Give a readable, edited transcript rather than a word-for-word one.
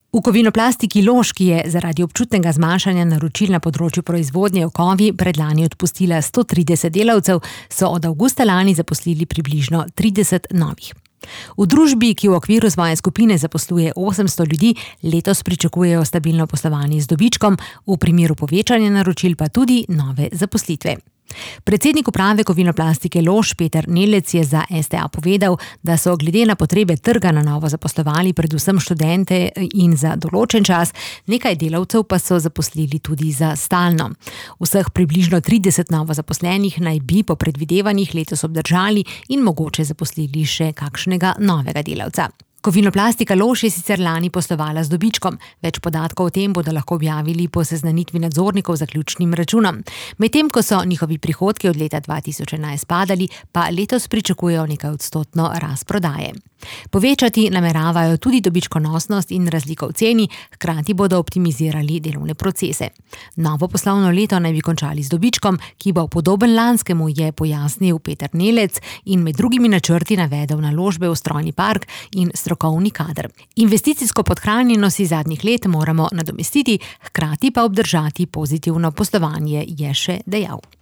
V Kovinoplastiki Lož, ki je zaradi občutnega zmanjšanja naročil na področju proizvodnje okovi predlani odpustila 130 delavcev, so od avgusta lani zaposlili približno 30 novih. V družbi, ki v okviru svoje skupine zaposluje 800 ljudi, letos pričakujejo stabilno poslovanje z dobičkom, v primeru povečanja naročil pa tudi nove zaposlitve. Predsednik uprave Kovinoplastike Lož Peter Nelec je za STA povedal, da so glede na potrebe trga na novo zaposlovali predvsem študente in za določen čas, nekaj delavcev pa so zaposlili tudi za stalno. Vseh približno 30 novo zaposlenih naj bi po predvidevanjih letos obdržali in mogoče zaposlili še kakšnega novega delavca. Kovinoplastika Lož je sicer lani poslovala z dobičkom. Več podatkov o tem bodo lahko objavili po seznanitvi nadzornikov z zaključnim računom. Medtem ko so njihovi prihodki od leta 2011 padali, pa letos pričakujejo nekaj odstotno rast prodaje. Povečati nameravajo tudi dobičkonosnost in razliko v ceni, hkrati bodo optimizirali delovne procese. Novo poslovno leto naj bi končali z dobičkom, ki bo podoben lanskemu, je pojasnil Peter Nelec in med drugimi načrti navedel naložbe v strojni park in strokovni kader. Investicijsko podhranjenost iz zadnjih let moramo nadomestiti, hkrati pa obdržati pozitivno poslovanje, je še dejal.